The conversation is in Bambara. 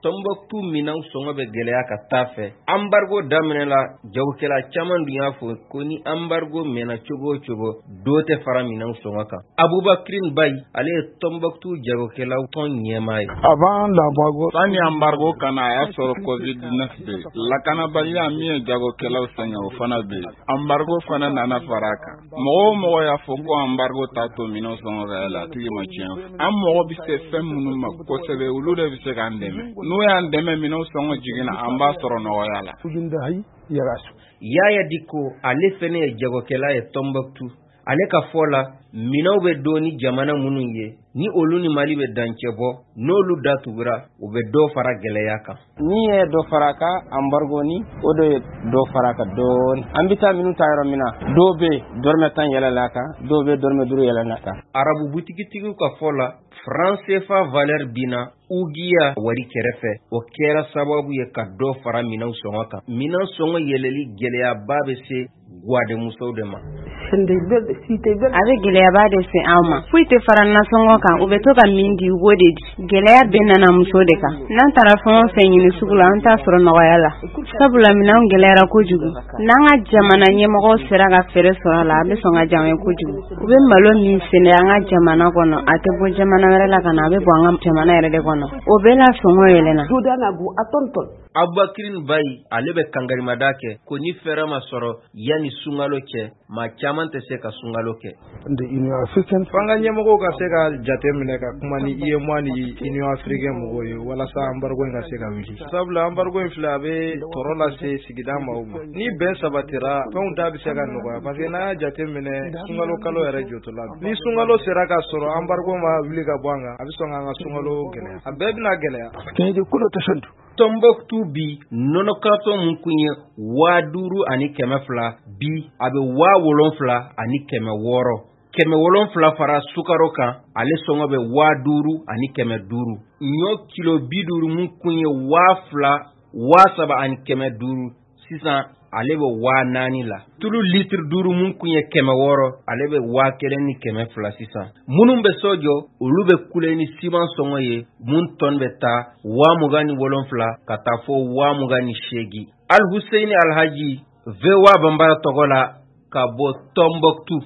Tɔnbɔkutu minɛnw sɔngɔ bɛ gɛlɛya ka taa fɛ. Embargo daminɛ la, jagokɛla caman dun y'a fɔ ko ni embargo mɛnna cogo o cogo, dɔ tɛ fara minɛnw sɔngɔ kan. Abubakirin Bayi, ale ye Tɔnbɔkutu jagokɛlaw tɔn ɲɛmaa ye. Avant l'embargo, Sani embargo ka na, a y'a sɔrɔ COVID-19 bɛ yen. Lakanabaliya min ye jagokɛlaw sɛgɛn, o fana bɛ yen. Embargo fana nana fara a kan. Mɔgɔ o mɔgɔ y'a fɔ ko embargo t'a to minɛnw sɔngɔ ka yɛlɛ, a tigi ma tiɲɛ fɔ. An mago bɛ se fɛn minnu ma kosɛbɛ, olu de bɛ se k'an dɛmɛ. N'u y'an dɛmɛ, minɛnw sɔngɔ jiginna, an b'a sɔrɔ nɔgɔya la. Yaya Diko, ale fɛnɛ ye jagokɛla ye Tɔnbɔkutu. Ale ka fɔ la, minɛnw bɛ don ni jamana minnu ye, ni olu ni Mali bɛ dancɛ bɔ, n'olu datugura, u bɛ dɔ fara gɛlɛya kan. Ni ye dɔ fara a kan, embargo ni o de ye dɔ fara a kan dɔɔni. An bɛ taa minnu ta yɔrɔ min na, dɔw bɛ yen, dɔrɔmɛ 10 yɛlɛla a kan, dɔw bɛ dɔrɔmɛ 5 yɛlɛla a kan. Arabu butigitigiw ka fɔ la, franc CFA valeur binna ugiya wari kɛrɛfɛ, o kɛra sababu ye ka dɔ fara minɛnw sɔngɔ kan. Minɛn sɔngɔ yɛlɛli gɛlɛyaba bɛ se guwadenmusow de ma. A bɛ gɛlɛyaba de se anw ma. Foyi tɛ fara nasɔngɔ kan. U bɛ to ka min di, u b'o de di. Gɛlɛya bɛɛ nana muso de kan. N'an taara fɛn o fɛn ɲini sugu la, an t'a sɔrɔ nɔgɔya la, sabula minɛnw gɛlɛyara kojugu. N'an ka jamana ɲɛmɔgɔw sera ka fɛɛrɛ sɔrɔ a la, a bɛ sɔn ka diya an ye kojugu. U bɛ malo min sɛnɛ an ka jamana kɔnɔ, a tɛ bɔ jamana wɛrɛ la ka na, a bɛ bɔ an ka jamana yɛrɛ de kɔnɔ. O bɛɛ la sɔngɔ yɛlɛnna. Abubakirin Bayi, ale bɛ kangarimada kɛ ko ni fɛɛrɛ ma sɔrɔ yanni sunkalo cɛ, maa caman tɛ se ka sunkalo kɛ. F'an ka ɲɛmɔgɔw ka se ka jate minɛ ka kuma ni UEMOA ni Union africaine mɔgɔw ye walasa embargo in ka se ka wuli, sabula embargo in filɛ, a bɛ tɔɔrɔ lase sigida maaw ma. Ni bɛn sabatira, fɛnw da bɛ se ka nɔgɔya, parce que n'an y'a jate minɛ, sunkalo kalo yɛrɛ jɔtɔla, ni sunkalo sera ka sɔrɔ embargo ma wuli ka bɔ an kan, a bɛ sɔn k'an ka sunkalo gɛlɛya, a bɛɛ bɛna gɛlɛya. Tɔnbɔkutu bi, nɔnɔ karitɔn mun kun ye 5200, bi a bɛ 7600. 700 fara sukaro kan, ale sɔngɔ bɛ 5500. Ɲɔ kilo 50 mun kun ye 2000, 3500, sisan ale bɛ 4000 la. Tulu litiri 5 mun kun ye 600, ale bɛ 1200 sisan. Minnu bɛ so jɔ, olu bɛ kule ni siman sɔngɔ ye mun tɔn bɛ taa 27 000 ka taa fo 28 000. Alhuseini Alhaji, VOA Banbara tɔgɔ la, ka bɔ Tɔnbɔkutu.